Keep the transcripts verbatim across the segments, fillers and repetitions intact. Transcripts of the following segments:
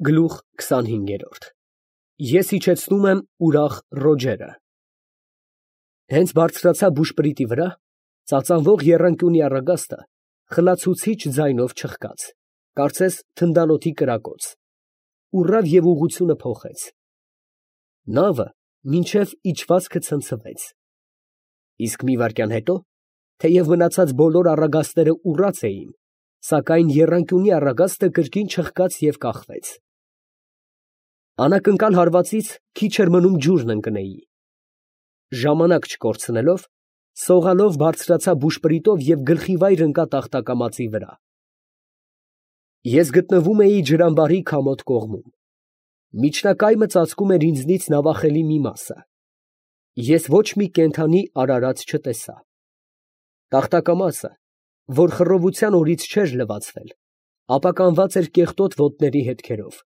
Գլուխ քսանհինգ. Ես իջեցնում եմ ուրախ Ռոջերը։ Հենց բարձրացա բուշպրիտի վրա, ծածանվող եռանկյունի առագաստը խլացուցիչ ձայնով չխկաց, կարծես թնդանոթի կրակոց, ուռավ և ուղղությունը փոխեց։ Նավը մինչև իջվածքը ցնցվեց, իսկ մի վայրկյան հետո, թեև մնացած բոլոր առագաստները ուռած էին, սակայն եռանկյունի առագաստը կրկին չխկաց և կախվեց։ Անակնկալ հարվածից քիչ էր մնում ջուրն ընկնեի։ Ժամանակ չկորցնելով, սողալով բարձրացա բուշպրիտով և գլխիվայր ընկա տախտակամածի վրա։ Ես գտնվում էի ջրամբարի քամոտ կողմում։ Միջնակայմը ծածկում էր ինձնից նավախելի մի մասը։ Ես ոչ մի կենդանի արարած չտեսա։ Տախտակամածը, որ խռովության օրից չէր լվացվել, ապականված էր կեղտոտ ոտների հետքերով։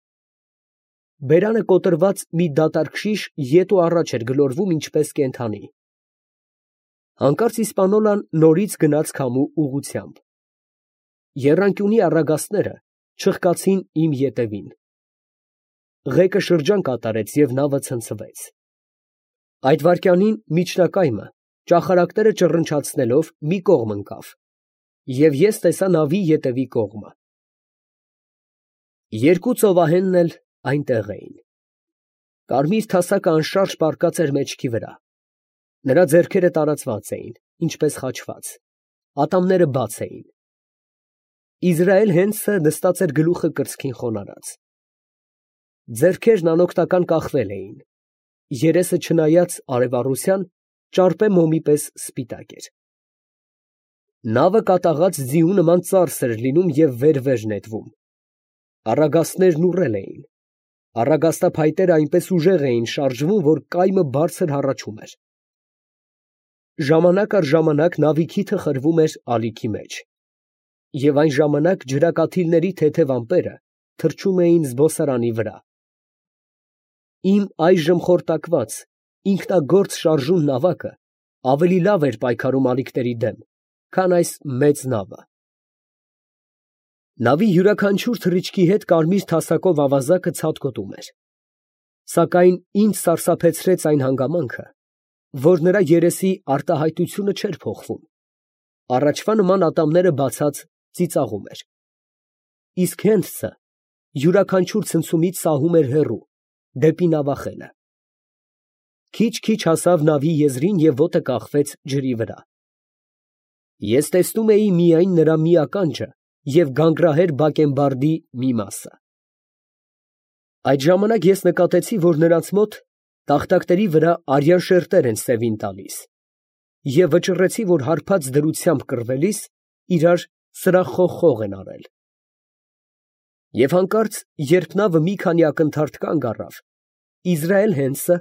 Բերանը կոտրված մի դատարկ շիշ ետ ու առաջ էր գլորվում ինչպես կենդանի։ Հանկարծ իսպանոլան նորից գնաց քամու ուղղությամբ։ Եռանկյունի առագաստները չխկացին իմ ետևին։ Ղեկը շրջան կատարեց և նավը ցնցվեց։ Այդ վայրկյանին միջնակայմը, ճախարակները ճռնչացնելով, մի կողմ ընկավ, և ես տեսա նավի ետևի կողմը։ Երկու ծովահենն էլ այնտեղ էին։ Կարմիր թասակը անշարժ պառկած էր մեջքի վրա, նրա ձեռքերը տարածված էին, ինչպես խաչված, ատամները բաց էին։ Իզրայել Հենդսը նստած էր գլուխը կրծքին խոնարհած։ Ձեռքերն անօգնական կախվել էին, երեսը չնայած արևառության, ճարպե մոմի պես սպիտակ էր։ Նավը կատաղած ձիու նման ծարս էր լինում և վեր֊վեր նետվում։ Առագաստներն ուռել էին, առագաստափայտերը այնպես ուժեղ էին շարժվում, որ կայմը բարձր հառաչում էր։ Ժամանակ առ ժամանակ նավի քիթը խրվում էր ալիքի մեջ, և այն ժամանակ ջրակաթիլների թեթև ամպերը թռչում էին զբոսարանի վրա։ Իմ այժմ խորտակված, ինքնագործ շարժուն նավակը ավելի լավ էր պայքարում ալիքների դեմ, քան այս մեծ նավը։ Նավի յուրաքանչյուր թռիչքի հետ կարմիր թասակով ավազակը ցատկոտում էր, սակայն ինձ սարսափեցրեց այն հանգամանքը, որ նրա երեսի արտահայտությունը չէր փոխվում, առաջվա նման ատամները բացած ծիծաղում էր, իսկ Հենդսը յուրաքանչյուր ցնցումից սահում էր հեռու, դեպի նավախելը։ Քիչ֊քիչ հասավ նավի եզրին և ոտը կախվեց ջրի վրա։ Ես տեսնում էի միայն նրա մի ականջը և գանգրահեր բակենբարդի մի մասը։ Այդ ժամանակ ես նկատեցի, որ նրանց մոտ տախտակների վրա արյան շերտեր են սևին տալիս, և վճռեցի, որ հարբած դրությամբ կռվելիս իրար սրախխոխ են արել։ Եվ հանկարծ, երբ նավը մի քանի ակնթարթ կանգ առավ, Իզրայել Հենդսը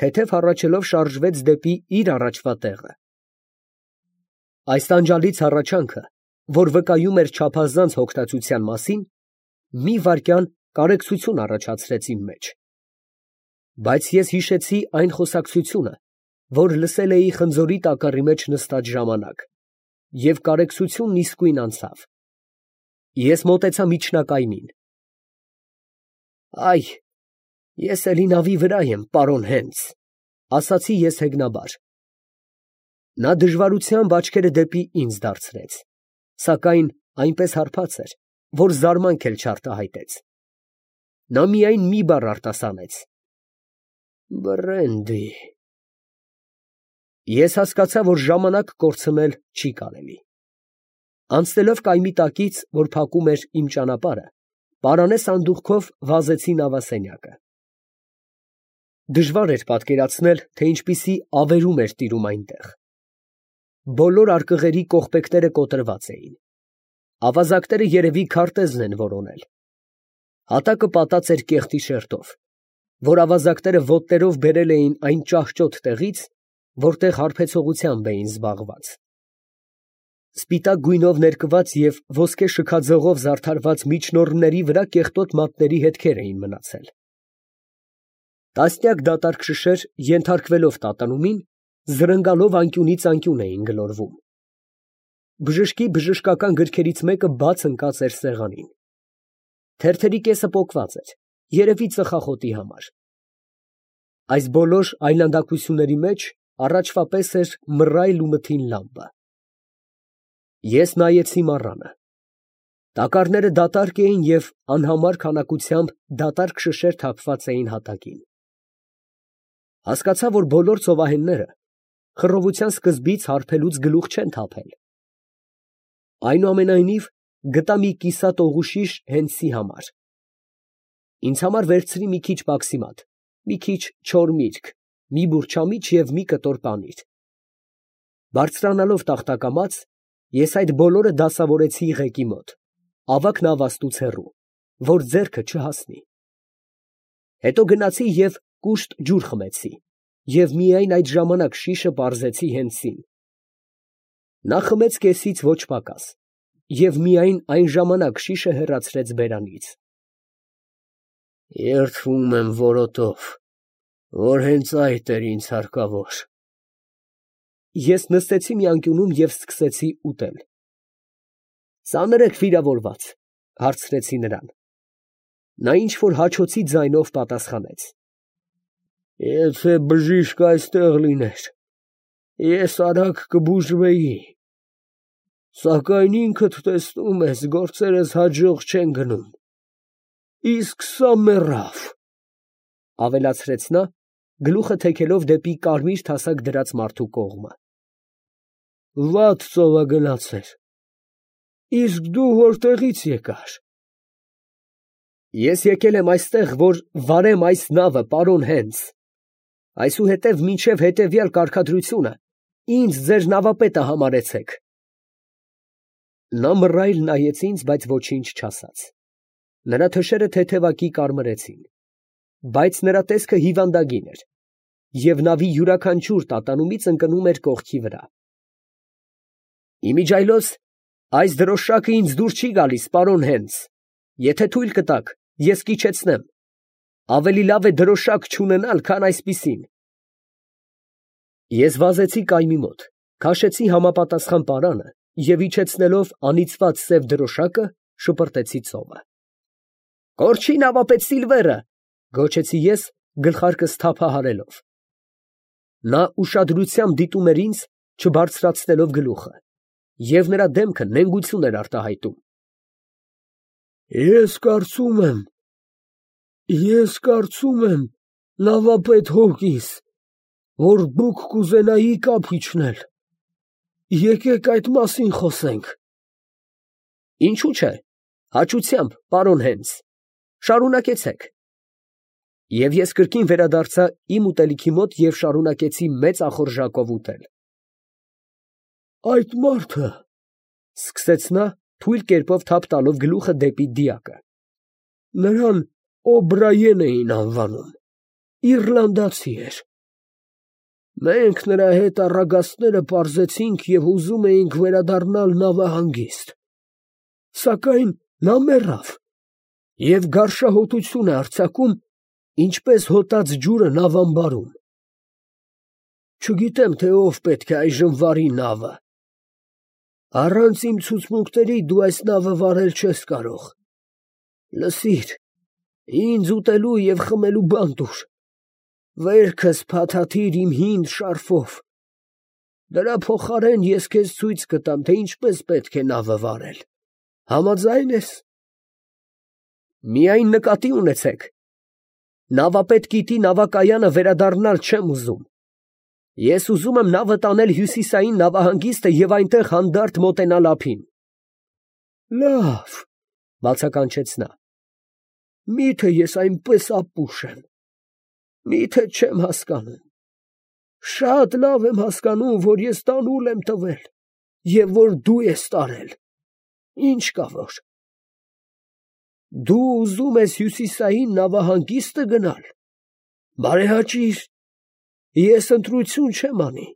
թեթև հառաչելով շարժվեց դեպի իր առաջվա տեղը։ Այս տանջալից հառաչանքը, որ վկայում էր չափազանց հոգտածության մասին, մի վայրկյան կարեկցություն առաջացրեց իմ մեջ։ Բայց ես հիշեցի այն խոսակցությունը, որ լսել էի խնձորի տակառի մեջ նստած ժամանակ, և կարեկցությունն իսկույն անցավ։ Ես մոտեցա միջնակայմին։ «Այ, ես էլի նավի վրա եմ, պարոն Հենդս», ֊ ասացի ես հեգնաբար։ Նա դժվարությամբ աչքերը դեպի ինձ դարձրեց, սակայն այնպես հարբած էր, որ զարմանք էլ չարտահայտեց։ Նա միայն մի բառ արտասանեց. «Բռենդի»։ Ես հասկացա, որ ժամանակ կորցնել չի կարելի։ Անցնելով կայմի տակից, որ փակում էր իմ ճանապարհը, պարանե սանդուղքով վազեցի նավասենյակը։ Դժվար էր պատկերացնել, թե ինչպիսի ավերում էր տիրում այնտեղ։ Բոլոր արկղերի կողպեքները կոտրված էին։ Ավազակները երևի քարտեզն են որոնել։ Հատակը պատած էր կեղտի շերտով, որ ավազակները ոտներով բերել էին այն ճահճոտ տեղից, որտեղ հարբեցողությամբ էին զբաղված։ Սպիտակ գույնով ներկված և ոսկե շքաձողով զարդարված միջնոռների վրա կեղտոտ մատների հետքեր էին մնացել։ Տասնյակ դատարկ շշեր, ենթարկվելով տատանումին, զրնգալով անկյունից անկյուն էին գլորվում։ Բժշկի բժշկական գրքերից մեկը բաց ընկած էր սեղանին։ Թերթերի կեսը պոկված էր, երևի ծխախոտի համար։ Այս բոլոր այլանդակությունների մեջ առաջվա պես էր մռայլ ու մթին լամպը։ Ես նայեցի մառանը։ Տակառները դատարկ էին և անհամար քանակությամբ դատարկ շշեր թափված էին հատակին։ Հասկացա, որ բոլոր ծովահենները խռովության սկզբից հարբելուց գլուխ չեն թափել։ Այնուամենայնիվ գտա մի կիսատ օղուշիշ հենսի համար։ Ինձ համար վերցրի մի քիչ պաքսիմատ, մի քիչ չոր միրգ, մի բուռ չամիչ և մի կտոր պանիր։ Բարձրանալով տախտակամաց, ես այդ բոլորը դասավորեցի ղեկի մոտ, ավագ նավաստուց հեռու, որ ձեռքը չհասնի։ Հետո գնացի և կուշտ ջուր խմեցի, և միայն այդ ժամանակ շիշը պարզեցի հենսին։ Նա խմեց կեսից ոչ պակաս, և միայն այն ժամանակ շիշը հեռացրեց բերանից։ Երդվում եմ որոտով, որ հենց այդ էր ինձ հարկավոր։ Ես նստեցի մի անկյունում և սկսեցի ուտել։ Ծանր եք վիրավորված, հարցրեցի նրան։ Նա ինչ֊որ հաչոցի ձայնով պատասխանեց. Եթե բժիշկ այստեղ լիներ, ես արագ կբուժվեի, սակայն ինքդ տեսնում ես, գործերս հաջող չեն գնում, իսկ սա մեռավ, ավելացրեց նա, գլուխը թեքելով դեպի կարմիր թասակ դրած մարդու կողմը։ Վատ ծով է գնացել, իսկ դու որտեղից եկար։ Ես եկել եմ այստեղ, որ վարեմ այս նավը, պարոն Հենս, այսուհետև մինչև հետևյալ կարգադրությունը ինձ ձեր նավապետը համարեցեք։ Նա մռայլ նայեց ինձ, բայց ոչինչ չասաց։ Նրա թշերը թեթևակի կարմրեցին, բայց նրա տեսքը հիվանդագին էր, և նավի յուրաքանչյուր տատանումից ընկնում էր կողքի վրա։ Իմիջիայլոց այս դրոշակը ինձ դուր չի գալիս, պարոն Հենս, եթե թույլ կտաք, ես կիջեցնեմ, ավելի լավ է դրոշակ չունենալ, քան այսպիսին։ Ես վազեցի կայմի մոտ, քաշեցի համապատասխան պարանը և իջեցնելով անիծված սև դրոշակը, շպրտեցի ծովը։ Կորչի նավապետ Սիլվերը, գոչեցի ես, գլխարկս թափահարելով։ Նա ուշադրությամբ դիտում էր ինձ, չբարձրացնելով գլուխը, և նրա դեմքը նենգություն էր արտահայտում։ Ես կարծում եմ, ես կարծում եմ, նավապետ Հոգինս, որ դուք կուզենայիք ափ իջնել, եկեք այդ մասին խոսենք։ Ինչու՞ չէ, հաճությամբ, պարոն Հենս, շարունակեցեք։ Եվ ես կրկին վերադարձա իմ ուտելիքի մոտ և շարունակեցի մեծ ախորժակով ուտել։ Այդ մարդը, ֊ սկսեց նա, թույլ կերպով թափ տալով գլուխը դեպի դիակը, նրան Օբրայեն էին անվանում, իռլանդացի էր։ Մենք նրա հետ առագաստները պարզեցինք և ուզում էինք վերադառնալ նավահանգիստ, սակայն նա մեռավ և գարշահոտություն է արձակում, ինչպես հոտած ջուրը նավամբարում։ Չգիտեմ, թե ով պետք է այժմ վարի նավը։ Առանց իմ ցուցմունքների դու այս նավը վարել չես կարող։ Լսիր, ինձ ուտելու և խմելու բան տուր, վերքս փաթաթիր իմ հին շարֆով, դրա փոխարեն ես քեզ ցույց կտամ, թե ինչպես պետք է նավը վարել, համաձա՞յն ես։ Միայն նկատի ունեցեք, նավապետ գիտի նավակայանը վերադառնալ չեմ ուզում, ես ուզում եմ նավը տանել հյուսիսային նավահանգիստը և այնտեղ հանդարտ մոտենալ ափին։ Լավ, ֊ բացականչեց նա, միթե ես այնպես ապուշ եմ, միթե չեմ հասկանում, շատ լավ եմ հասկանում, որ ես տանուլ եմ տվել և որ դու ես տարել, ինչ կա որ։ Դու ուզում ես հյուսիսային նավահանգիստը գնալ, բարեհաճիր, ես ընտրություն չեմ անի,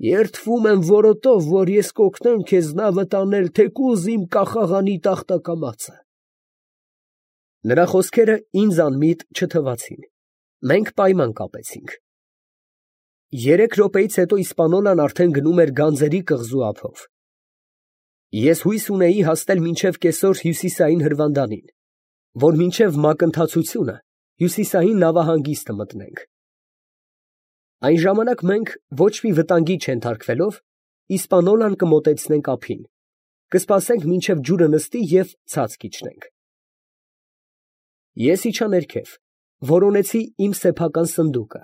երդվում եմ որոտով, որ ես կօգնեմ քեզ նավը տանել թեկուզ իմ կախաղանի տախտակամածը։ Նրա խոսքերը ինձ անմիտ չթվացին, մենք պայման կապեցինք։ Երեք րոպեից հետո իսպանոլան արդեն գնում էր գանձերի կղզու ափով։ Ես հույս ունեի հասնել մինչև կեսօր հյուսիսային հրվանդանին, որ մինչև մակընթացությունը հյուսիսային նավահանգիստը մտնենք։ Այն ժամանակ մենք ոչ մի վտանգի չենթարկվելով Իսպանոլան կմոտեցնենք ափին, կսպասենք մինչև ջուրը նստի և ցած կիջնենք։ Ես իջա ներքև, որոնեցի իմ սեփական սնդուկը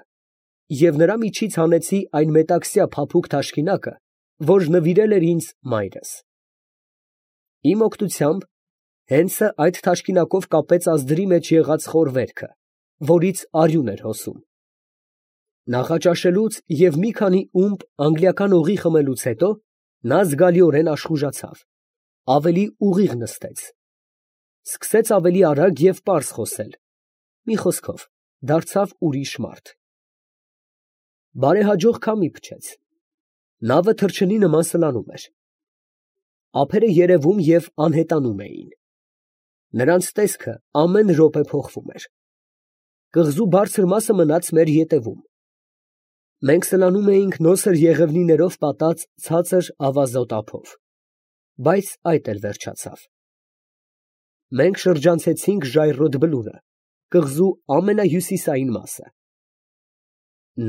և նրա միջից հանեցի այն մետաքսյա փափուկ թաշկինակը, որ նվիրել էր ինձ մայրս։ Իմ օգնությամբ հենսը այդ թաշկինակով կապեց ազդրի մեջ եղած խորվերքը, որից արյուն էր հոսում։ Նախաճաշելուց և մի քանի ումպ անգլիական օղի խմելուց հետո նա զգալիորեն աշխուժացավ, ավելի ուղիղ նստեց, սկսեց ավելի արագ և պարզ խոսել, մի խոսքով, դարձավ ուրիշ մարդ։ Բարեհաջող քամի փչեց, նավը թռչնի նման սլանում էր, ափերը երևում և անհետանում էին, նրանց տեսքը ամեն րոպե փոխվում էր, կղզու բարձր մասը մնաց մեր ետևում, մենք սլանում էինք նոսր եղևնիներով պատած ցածր ավազոտ ափով, բայց այդ էլ վերջացավ։ Մենք շրջանցեցինք Ժայռոտ Բլուրը, կղզու ամենահյուսիսային մասը։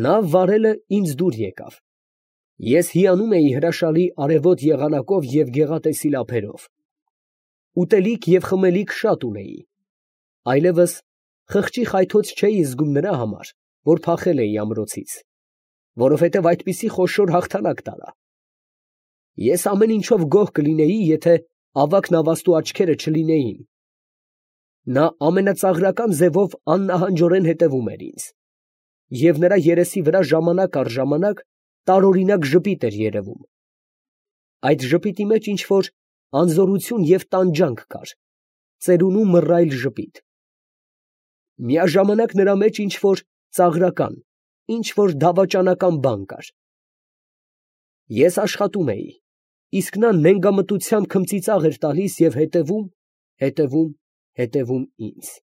Նա վարելը ինձ դուր եկավ, ես հիանում էի հրաշալի արևոտ եղանակով և գեղատեսիլ ափերով, ուտելիք և խմելիք շատ ունեի, այլևս խղճի խայթոց չէի զգում նրա համար, որ փախել էի ամրոցից, որովհետև այդպիսի խոշոր հաղթանակ տարա։ Ես ամեն ինչով գոհ կլինեի, եթե ավագ նավաստու աչքերը չլինեին։ Նա ամենածաղրական ձևով աննահանջորեն հետևում էր ինձ, և նրա երեսի վրա ժամանակ առ ժամանակ տարօրինակ ժպիտ էր երևում։ Այդ ժպիտի մեջ ինչ֊որ անզորություն և տանջանք կար, ծերունու մռայլ ժպիտ։ Միաժամանակ նրա մեջ ինչ֊որ ծաղրական, ինչ֊որ դավաճանական բան կար։ Ես աշխատում էի, իսկ նա նենգամտությամբ քմծիծաղ էր տալիս և հետևում, հետևում, հետևում ինձ։